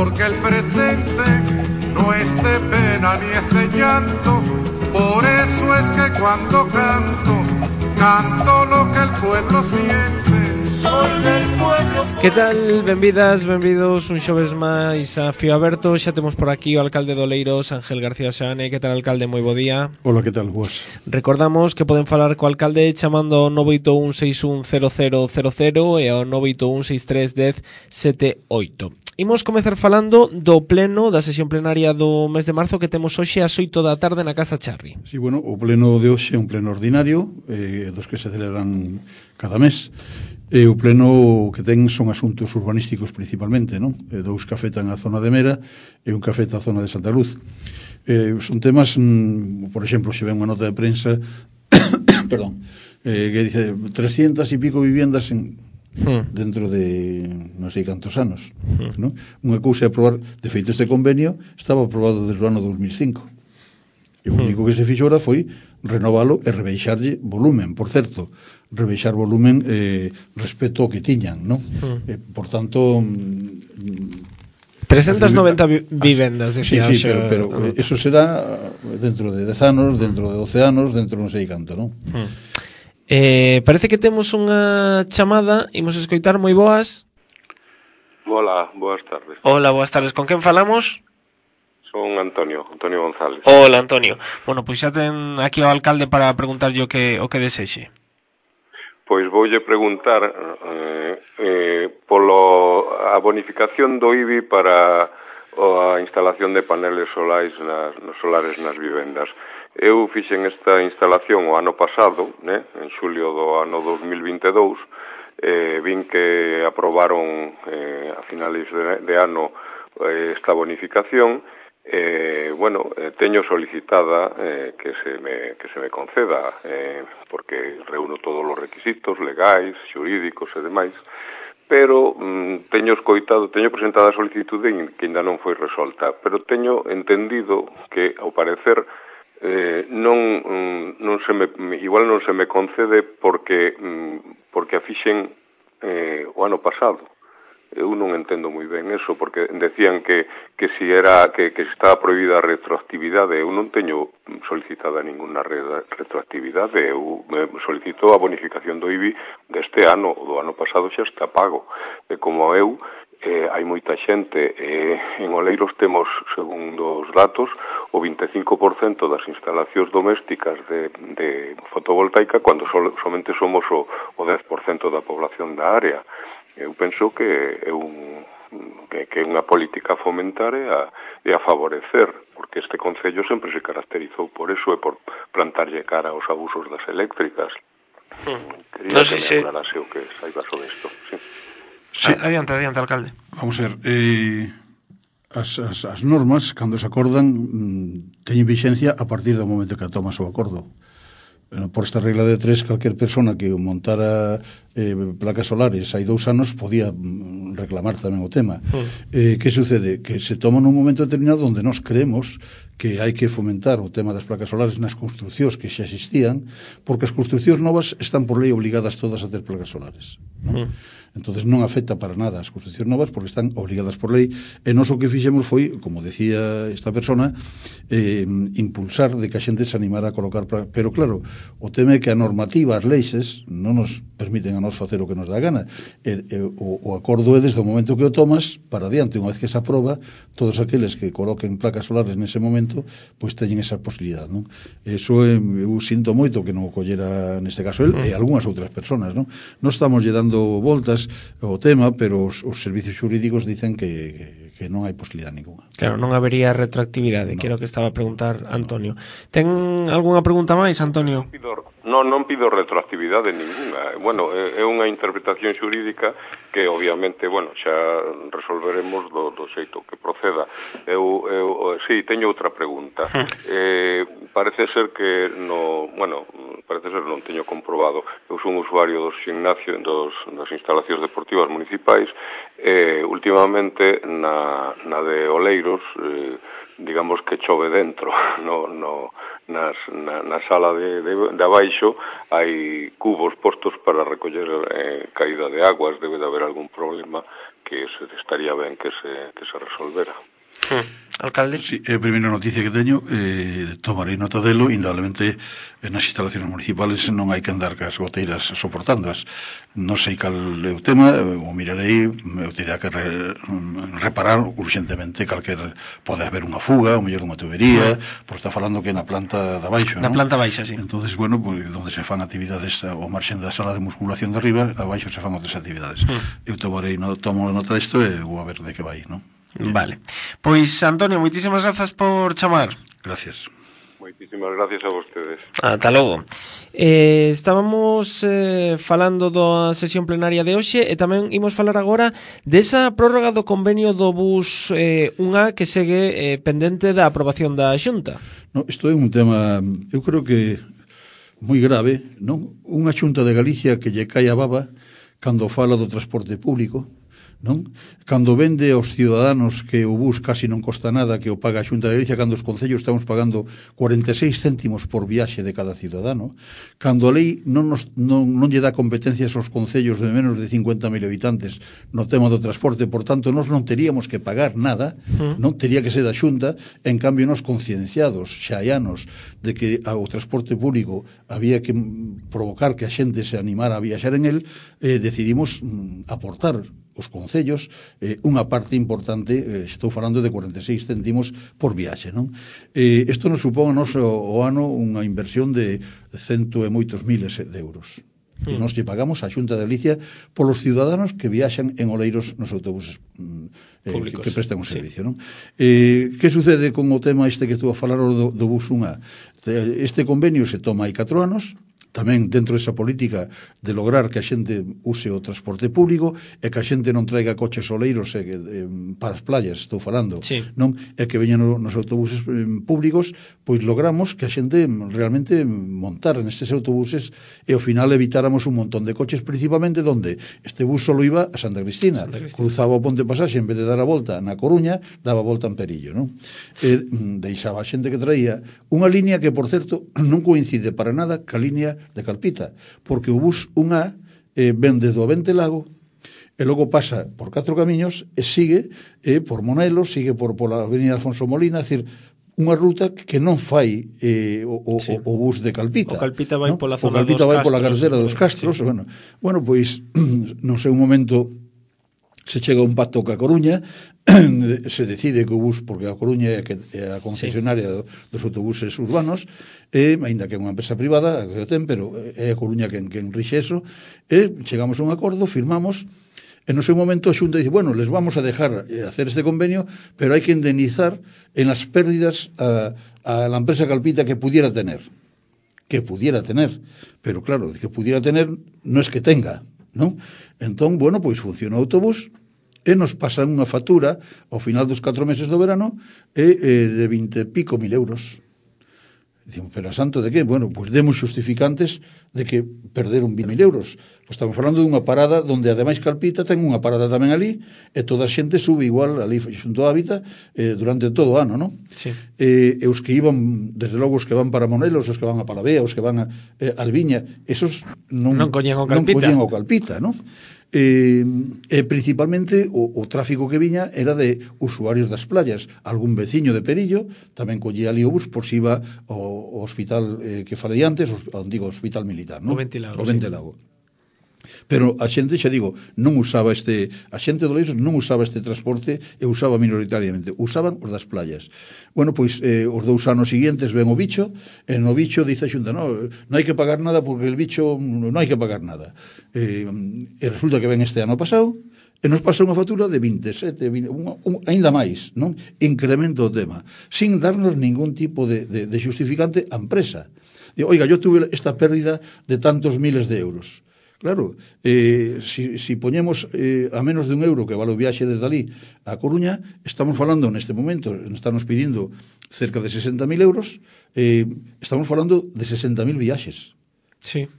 porque el presente no es de pena ni es de llanto. Por eso es que cuando canto, canto lo que el pueblo siente. Soy del pueblo. Que tal? Benvidas, benvidos un xoves máis a Fío Aberto. Xa temos por aquí o alcalde de Oleiros, Ángel García Seane. Que tal, alcalde? Moi bo día. Hola, que tal, boas? Recordamos que poden falar co alcalde chamando ao 981610000 e ao 981631078. Imos comezar falando do pleno da sesión plenaria do mes de marzo que temos hoxe ás 8 da tarde na Casa Charri. Sí, bueno, o pleno de hoxe é un pleno ordinario, dos que se celebran cada mes. O pleno que ten son asuntos urbanísticos principalmente, non? Dous que afectan a zona de Mera e un que afecta a zona de Santa Luz. Son temas, por exemplo, se ven unha nota de prensa perdón, que dice 300 e pico viviendas dentro de non sei cantos anos, non? Unha cousa é aprobar, de feito este convenio estaba aprobado desde o ano 2005 e o único que se fixo ahora foi renovalo e rebeixarlle volumen, por certo, rebeixar volumen respecto ao que tiñan, non? Por tanto 390 vivendas, decía. Sí, pero eso será dentro de 10 anos, dentro de 12 anos, dentro non sei canto, non? Parece que temos unha chamada. Imos escoitar. Moi boas. Hola, boas tardes. Hola, boas tardes. Con quen falamos? Son Antonio González. Hola, Antonio. Bueno, pois xa ten aquí o alcalde para preguntarlle o que desexe. Pois voulle preguntar polo a bonificación do IBI para a instalación de paneles solares nas vivendas. Eu fixen esta instalación o ano pasado, en xulio do ano 2022, vin que aprobaron a finales de ano esta bonificación. Teño solicitada que se me conceda porque reúno todos os requisitos legais, xurídicos e demais, pero teño presentada a solicitude que ainda non foi resolta, pero teño entendido que, ao parecer, igual non se me concede porque a fixen o ano pasado. Eu non entendo moi ben eso, porque decían que estaba prohibida a retroactividade. Eu non teño solicitada ninguna retroactividade. Eu solicito a bonificación do IBI deste ano, do ano pasado xa está pago. E como eu, hai moita xente, en Oleiros temos, segundo os datos, o 25% das instalacións domésticas de fotovoltaica, cando somente somos o 10% da población da área. Eu penso que é unha política a fomentar e a favorecer, porque este concello sempre se caracterizou por eso e por plantarlle cara aos abusos das eléctricas. Quería que me aclarase o que saiba sobre isto. Sí. Adiante, alcalde. Vamos a ver, as normas, cando se acordan, teñen vixencia a partir do momento que tomas o acordo. Por esta regla de 3, calquer persona que montara placas solares hai 2 anos podía reclamar tamén o tema. Que sucede? Que se toma nun momento determinado onde nós creemos que hai que fomentar o tema das placas solares nas construcións que xa existían, porque as construcións novas están por lei obligadas todas a ter placas solares, non? Entonces non afecta para nada as construcións novas porque están obligadas por lei, e nós o que fixemos foi, como decía esta persona, impulsar de que a xente se animara a colocar pero claro, o tema é que a normativa, as leixes non nos permiten a nós facer o que nos dá gana. O acordo é desde o momento que o tomas para adiante. Unha vez que se aproba, todos aqueles que coloquen placas solares nese momento pois teñen esa posibilidade, non? Eso eu sinto moito que non o collera neste caso el e algunhas outras persoas, non? Non estamos lle dando voltas ao tema, pero os servicios xurídicos dicen que non hai posibilidade ninguna. Claro, non habería retroactividade, que era o que estaba a preguntar Antonio. Ten algunha pregunta máis, Antonio? Non pido retroactividade ninguna. Bueno, é unha interpretación xurídica que obviamente, xa resolveremos do xeito que proceda. Eu sí, teño outra pregunta. Parece ser que non teño comprobado. Eu son usuario dos gimnasios, das instalacións deportivas municipais. Últimamente na de Oleiros, digamos que chove dentro, na sala de abaixo hai cubos postos para recoller caída de aguas. Debe de haber algún problema que estaría ben que se resolvera. Alcalde? Sí, a primeira noticia que teño, tomarei nota delo, indudablemente nas instalacións municipales non hai que andar cas goteiras soportándoas. Non sei cal é o tema, o mirarei, eu terá que reparar urgentemente pode haber unha fuga, ou mellor unha tubería, porque está falando que na planta de abaixo, na planta baixa, sí. Entonces, bueno, pues, donde se fan actividades ao marxen da sala de musculación de arriba, abaixo se fan outras actividades. Eu tomo nota disto e vou a ver de que vai, non? Vale. Pois, Antonio, moitísimas grazas por chamar. Gracias. Moitísimas gracias a vostedes. Ata logo. Estábamos falando da sesión plenaria de hoxe e tamén imos falar agora desa prórroga do convenio do bus 1A que segue pendente da aprobación da Xunta. No, isto é un tema, eu creo que moi grave, non? Unha Xunta de Galicia que lle cae a baba cando fala do transporte público, non? Cando vende aos ciudadanos que o bus casi non costa nada, que o paga a Xunta de Galicia, cando os concellos estamos pagando 46 céntimos por viaxe de cada ciudadano, cando a lei non lle dá competencias aos concellos de menos de 50.000 habitantes no tema do transporte, por tanto, nós non teríamos que pagar nada, non tería que ser a Xunta, en cambio, nós concienciados, xa hai anos, de que o transporte público había que provocar que a xente se animara a viaxar en el, decidimos aportar os concellos unha parte importante, estou falando de 46 céntimos por viaxe, non? Isto nos supón o ano unha inversión de cento e moitos miles de euros. E nós lle pagamos a Xunta de Galicia polos ciudadanos que viaxan en Oleiros nos autobuses que prestan un servicio, non? Que sucede con o tema este que estou a falar do bus 1A? Este convenio se toma hai 4 anos, tamén dentro desa política de lograr que a xente use o transporte público e que a xente non traiga coches oleiros para as playas, estou falando, sí, non? E que veñan nos autobuses públicos, pois logramos que a xente realmente montara nestes autobuses e ao final evitáramos un montón de coches, principalmente donde este bus solo iba a Santa Cristina. Cruzaba o Ponte Pasaxe, en vez de dar a volta na Coruña, daba a volta en Perillo, non? Deixaba a xente que traía unha línea que, por certo, non coincide para nada ca línea de Calpita, porque o bus 1A ven desde o Ventelago e logo pasa por 4 camiños e sigue por Monelos, sigue por a avenida Alfonso Molina, é dicir, unha ruta que non fai o bus de Calpita. O Calpita vai pola zona dos Castros. O Calpita vai pola carretera dos Castros. Sí. Bueno, pois, non sei, un momento se chega a un pacto ca Coruña, se decide que o bus, porque a Coruña é a concesionaria dos autobuses urbanos, aínda que é unha empresa privada que o ten, pero é a Coruña quen rixe eso, e chegamos a un acordo, firmamos, e no seu momento a Xunta dice, bueno, les vamos a dejar hacer este convenio, pero hai que indemnizar en las pérdidas a la empresa Calpita que pudiera tener, pero claro, que pudiera tener no es que tenga, non? Entón, bueno, pois funciona o autobús e nos pasan unha factura ao final dos 4 meses do verano de 20 e pico mil euros. Dicimos, pero a santo de que? Bueno, pois demos justificantes de que perderon 20.000 euros. Pois estamos falando dunha parada donde ademais Calpita ten unha parada tamén ali e toda a xente sube igual ali xunto a Hábitat durante todo o ano, non? Sí. E os que iban, desde logo os que van para Monelos, os que van a Palavea, os que van a Alviña, esos non collían o Calpita, non? Principalmente o tráfico que viña era de usuarios das playas. Algún veciño de Perillo tamén collía ali o bus por si iba ao hospital que falei antes, ao antigo hospital militar, non? O Ventelago. Sí. Pero a xente, xa digo, non usaba a xente do Oleiros non usaba este transporte e usaba minoritariamente, usaban os das playas. Bueno, pois os 2 anos seguintes ven o bicho, e no bicho dice a Xunta, non hai que pagar nada porque el bicho non hai que pagar nada. E resulta que ven este ano pasado e nos pasa unha factura de 27, ainda máis, non? Incremento o tema, sin darnos ningún tipo de justificante a empresa. Digo, oiga, yo tuve esta pérdida de tantos miles de euros. Claro, si poñemos a menos de €1 que vale o viaxe desde ali a Coruña, estamos falando neste momento, estamos pedindo cerca de 60.000 euros, estamos falando de 60.000 viaxes. Sí.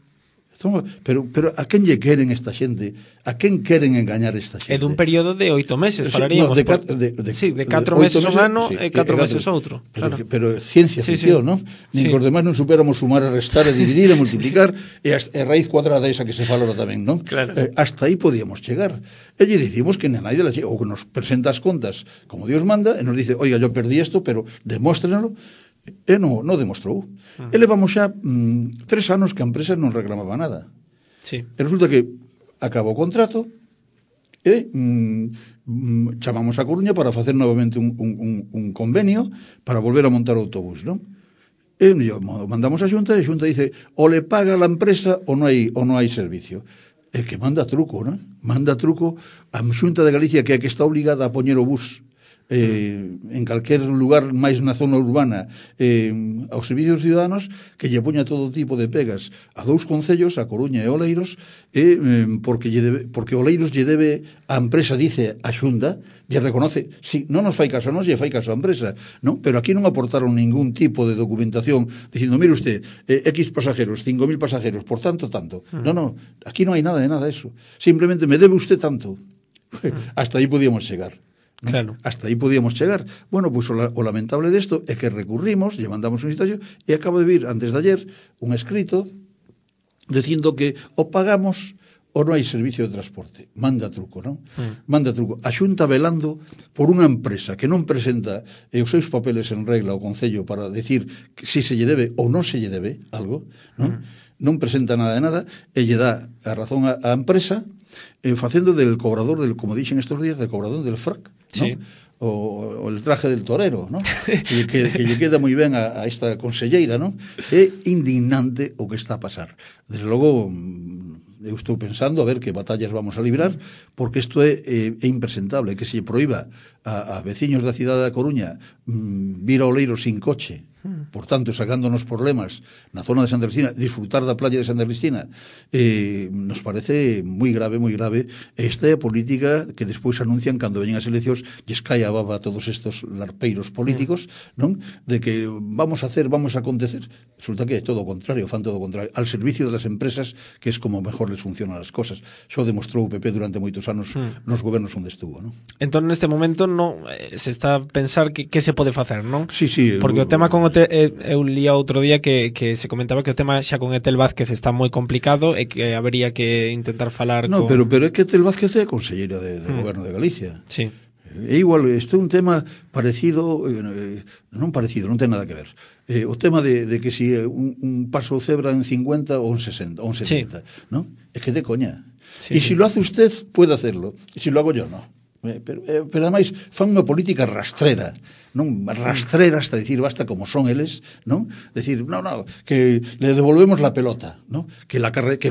Pero a quen lle queren esta xente? A quen queren engañar esta xente? É dun período de 8 meses, falaríamos. De 4 meses un ano e 4 meses outro. Pero ciencia ficción, non? Nin que os demais non superamos sumar, a restar, a dividir, a multiplicar e a raíz cuadrada esa que se fala tamén, non? Claro. Hasta aí podíamos chegar. E lle dicimos que nadie ou que nos presenta as contas como Dios manda e nos dice, oiga, yo perdí esto, pero demóstrenlo. E non demostrou. E levamos xa 3 anos que a empresa non reclamaba nada. Sí. E resulta que acabou o contrato e chamamos a Coruña para facer novamente un convenio para volver a montar o autobús, non? E mandamos a Xunta e a Xunta dice o le paga a empresa ou non hai servicio. E que manda truco, non? Manda truco a Xunta de Galicia, que é que está obligada a poñer o bus en calquer lugar máis na zona urbana aos servicios ciudadanos, que lle poña todo tipo de pegas a 2 concellos, a Coruña e Oleiros, porque Oleiros lle debe a empresa, dice a Xunta, lle reconoce, si non nos fai caso a nos, lle fai caso a empresa, non? Pero aquí non aportaron ningún tipo de documentación dicindo, mire usted, X pasajeros, 5.000 pasajeros, por tanto, non, aquí non hai nada de nada de eso, simplemente me debe usted tanto. Hasta aí podíamos chegar. ¿No? Claro. Hasta aí podíamos chegar. Bueno, pois o lamentable desto é que recurrimos, lle mandamos un citación e acabo de vir antes de ayer un escrito dicindo que o pagamos ou non hai servicio de transporte. Manda truco, non? Manda truco. A Xunta velando por unha empresa que non presenta os seus papeles en regla ao Concello para decir que si se lle debe ou non se lle debe algo, non? Non presenta nada de nada e lle dá a razón á empresa facendo del cobrador, como dixen estes días, del cobrador del frac, ¿no? Sí. O el traje del torero, ¿no? que lle queda moi ben a esta conselleira, ¿no? É indignante o que está a pasar. Desde logo, eu estou pensando a ver que batallas vamos a librar, porque isto é impresentable, que se proíba a veciños da cidade da Coruña vir a Oleiros sin coche, por tanto, sacándonos problemas na zona de Santa Cristina, disfrutar da playa de Santa Cristina, nos parece moi grave, esta é a política que despois anuncian cando veñen as eleccións, lles cae a baba a todos estos larpeiros políticos, non? De que vamos a acontecer. Resulta que é todo o contrario, fan todo o contrario, al servicio das empresas, que é como mejor les funcionan as cosas. Xo demostrou o PP durante moitos anos nos gobernos onde estuvo, non? Entón, neste momento, non se está a pensar que se pode facer, non? Sí. Porque o tema con eu lía outro día que se comentaba que o tema xa con Etel Vázquez está moi complicado e que habería que intentar falar con... pero é que Etel Vázquez é conselleira de Goberno de Galicia. Sí. É igual, este é un tema parecido, non ten nada que ver. O tema de que si un paso cebra en 50 ou en 60, ou en 70, sí. ¿No? Es que de coña. Sí, si lo hace usted, puede hacerlo. Y si lo hago yo, no. Pero ademais fan unha política rastrera, non? Rastrera hasta decir basta como son eles, non? Decir, no, que le devolvemos la pelota, non? Que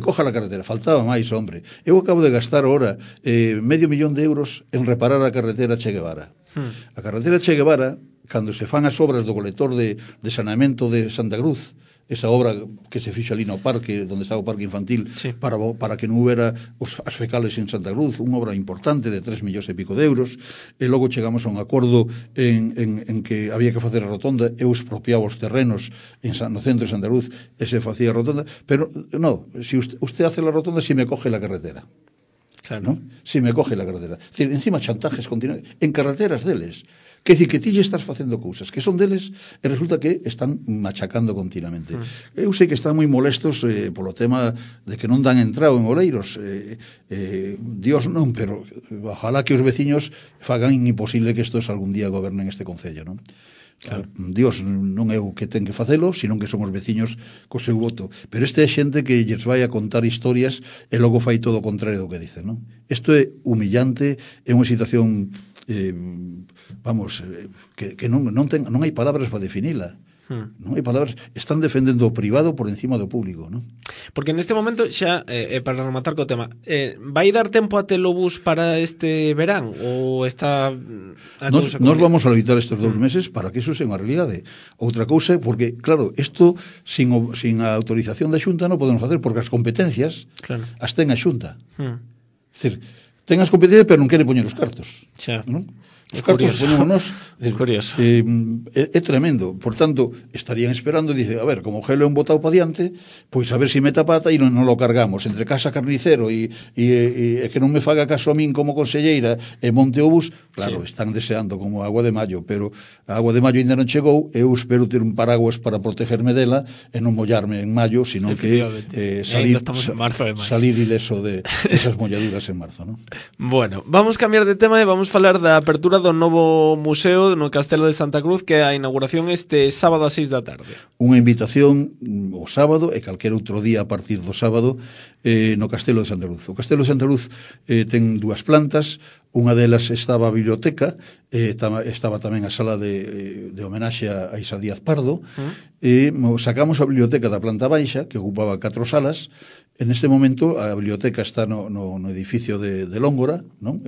coja la carretera. Faltaba máis, hombre. Eu acabo de gastar ahora €500.000 en reparar a carretera Che Guevara. A carretera Che Guevara, cando se fan as obras do colector de saneamento de Santa Cruz, esa obra que se fixo ali no parque, donde está o parque infantil, sí. para que non houbera as fecales en Santa Cruz, unha obra importante de 3 millóns e pico de euros, e logo chegamos a un acordo en que había que facer a rotonda, eu expropiaba os terrenos no centro de Santa Cruz, e se facía a rotonda, pero no, si usted hace la rotonda, si me coge la carretera. Claro. ¿No? Si me coge la carretera. Es decir, encima chantajes continuos, en carreteras deles. Que dicir, que ti estás facendo cousas que son deles e resulta que están machacando continuamente. Eu sei que están moi molestos polo tema de que non dan entrado en Oleiros. Dios non, pero ojalá que os veciños fagan imposible que estos algún día gobernen este concello, non? Claro. Dios non é o que ten que facelo, senón que son os veciños co seu voto. Pero este é xente que lles vai a contar historias e logo fai todo o contrario do que dicen, non? Isto é humillante, é unha situación que non hai palabras para definila. Non hai palabras, están defendendo o privado por encima do público, non? Porque neste momento xa, para rematar co tema, vai dar tempo a ter o bus para este verán ou está Nos vamos a limitar estes 2 meses para que iso sea unha realidade. Outra cousa, porque, claro, isto sin a autorización da Xunta non podemos facer, porque as competencias as ten a Xunta. É dicir, ten as competencias, pero non quere poñer os cartos. Xa. Non? Os cartos poñémonos. Curioso. É tremendo. Por tanto, estarían esperando e dice, a ver, como o gelo é un botado para diante, pois a ver se meta pata e non lo cargamos. Entre Casa Carnicero e que non me faga caso a min como conselleira e monte o bus, claro, están deseando como a agua de maio, pero a agua de maio ainda non chegou, eu espero ter un paraguas para protegerme dela e non mollarme en maio, sino que salir ileso de esas molladuras en marzo, non? Bueno, vamos cambiar de tema e vamos falar da apertura do novo museo no Castelo de Santa Cruz, que é a inauguración este sábado a 6 da tarde. Unha invitación o sábado e calquera outro día a partir do sábado no Castelo de Santa Cruz. O Castelo de Santa Cruz ten 2 plantas, unha delas estaba a biblioteca, estaba tamén a sala de homenaxe a Isa Díaz Pardo, sacamos a biblioteca da planta baixa, que ocupaba 4 salas. En este momento a biblioteca está no edificio de Lóngora, non?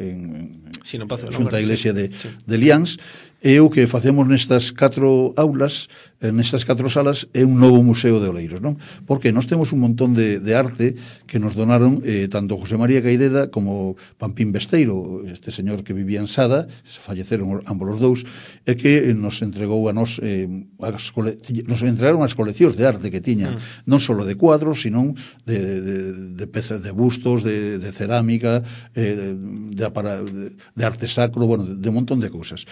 Sí, no Pazo de Xunta Lóngora, a Iglesia de Liáns, e o que facemos nestas 4 aulas, nestas 4 salas, é un novo museo de Oleiros, non? Porque nós temos un montón de arte que nos donaron tanto José María Caideda como Pampín Besteiro, este señor que vivía en Sada, se falleceron ambos os dous, e que nos entregou a nos nos entregaron as coleccións de arte que tiñan, non só de cuadros, sino de pezas, de bustos, de cerámica, de arte sacro, bueno, de un montón de cousas.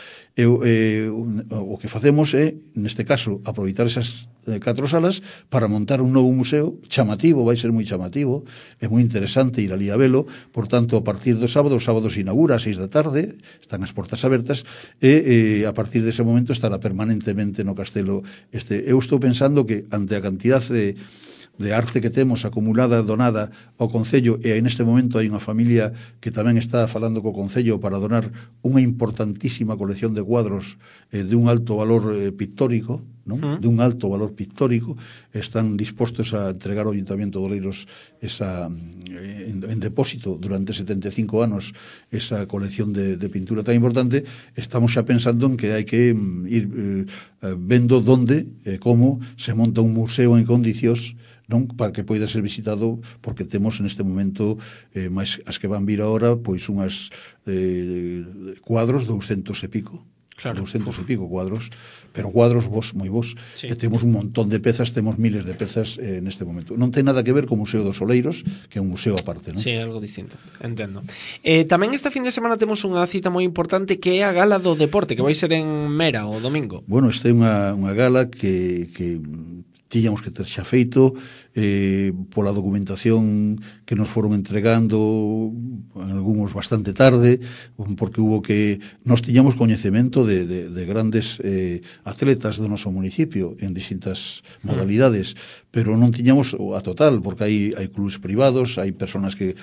O que facemos é, neste caso, aproveitar esas 4 salas para montar un novo museo chamativo, vai ser moi chamativo, é moi interesante ir ali a velo. Por tanto, a partir do sábado, o sábado se inaugura a 6 da tarde, están as portas abertas, e a partir dese momento estará permanentemente no castelo. Eu estou pensando que ante a cantidad de arte que temos acumulada, donada ao Concello, e neste momento hai unha familia que tamén está falando co Concello para donar unha importantísima colección de cuadros de un alto valor pictórico, non? De un alto valor pictórico, están dispostos a entregar ao Ayuntamiento de Oleiros en depósito durante 75 anos esa colección de pintura tan importante. Estamos xa pensando en que hai que ir vendo donde e como se monta un museo en condicións, non, para que poida ser visitado, porque temos neste momento máis as que van vir ahora, pois unhas cuadros 200 e pico. Claro. 200 e pico cuadros, pero cuadros moi bons. Sí. E temos un montón de pezas, temos miles de pezas neste momento. Non ten nada que ver co Museo dos Oleiros, que é un museo aparte, non? Sí, algo distinto, entendo. Tamén esta fin de semana temos unha cita moi importante que é a Gala do Deporte, que vai ser en Mera o domingo. Bueno, esta é unha gala que tiñamos que ter xa feito pola documentación que nos foron entregando algúns bastante tarde, porque hubo que nos tiñamos coñecemento de grandes atletas do noso municipio en distintas modalidades, pero non tiñamos a total, porque hai clubes privados, hai personas que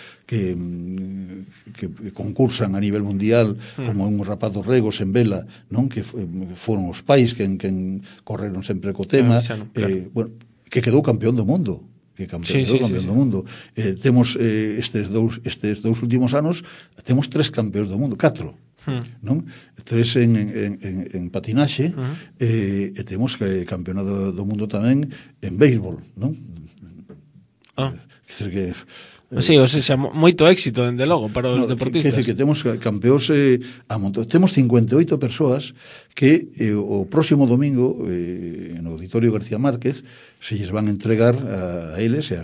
concursan a nivel mundial, como un rapaz dos Regos en vela, non, que foron os pais que correron sempre co tema, bueno, que quedou campeón do mundo, do mundo. Temos estes dous últimos anos, temos 3 campeóns do mundo, 4, non? 3 en patinaxe, e temos campeonato do mundo tamén en béisbol, non? Quer dizer que sí, o sea, moito éxito, dende logo, para os deportistas. Que temos campeóns a montón. Temos 58 persoas que o próximo domingo no Auditorio García Márquez se lles van a entregar a eles e a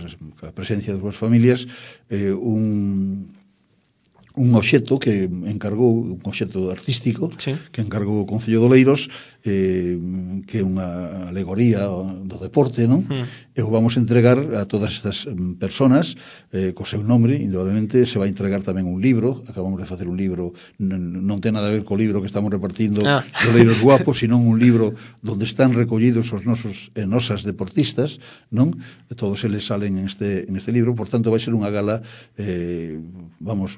presencia das súas familias un obxecto que encargou, un obxecto artístico, sí, que encargou o Concello de Oleiros, que é unha alegoría do deporte, non? E o vamos a entregar a todas estas personas co seu nombre. Indudablemente se vai entregar tamén un libro, acabamos de facer un libro, non ten nada a ver co libro que estamos repartindo de Oleiros Guapos, sino un libro onde están recollidos os nosos e nosas deportistas, non? Todos eles salen en este libro. Por tanto, vai ser unha gala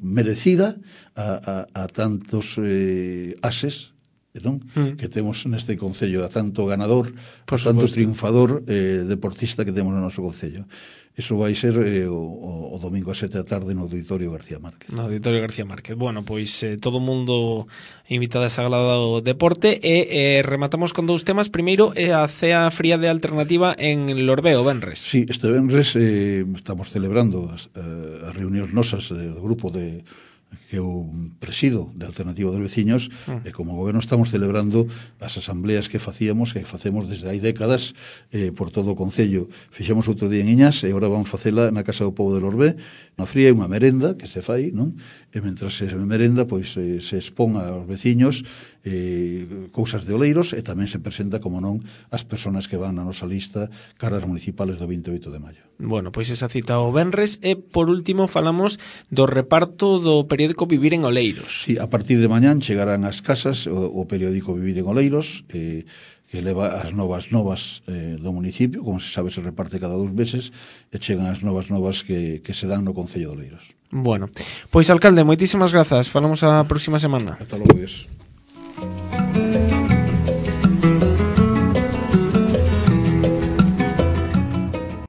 merecida a tantos ases non? Que temos neste concello a tanto ganador, Por a tanto supuesto. triunfador deportista que temos no noso concello. Iso vai ser o domingo a 7 da tarde no Auditorio García Márquez. No Auditorio García Márquez. Bueno, pois todo o mundo invitado a esa gala do deporte e rematamos con dous temas. Primeiro é a cea fría de alternativa en Lorbeo, venres. Sí, este venres estamos celebrando as reunións nosas do grupo que eu presido de Alternativa dos Veciños e como goberno estamos celebrando as asambleas que facemos desde hai décadas por todo o Concello. Fixemos outro día en Iñas e agora vamos facela na Casa do Pobo de Lorbé. Na fría é unha merenda que se fai, non? E mentras se merenda, pois se expón aos veciños cousas de oleiros e tamén se presenta, como non, as persoas que van na nosa lista caras municipales do 28 de maio. Bueno, pois esa cita o venres e por último falamos do reparto do periódico Vivir en Oleiros. Sí, a partir de mañán chegarán ás casas o periódico Vivir en Oleiros que leva as novas do municipio, como se sabe se reparte cada 2 meses e chegan as novas que se dan no Concello de Oleiros. Bueno, pois alcalde, moitísimas grazas. Falamos a próxima semana. Ata logo, Dios.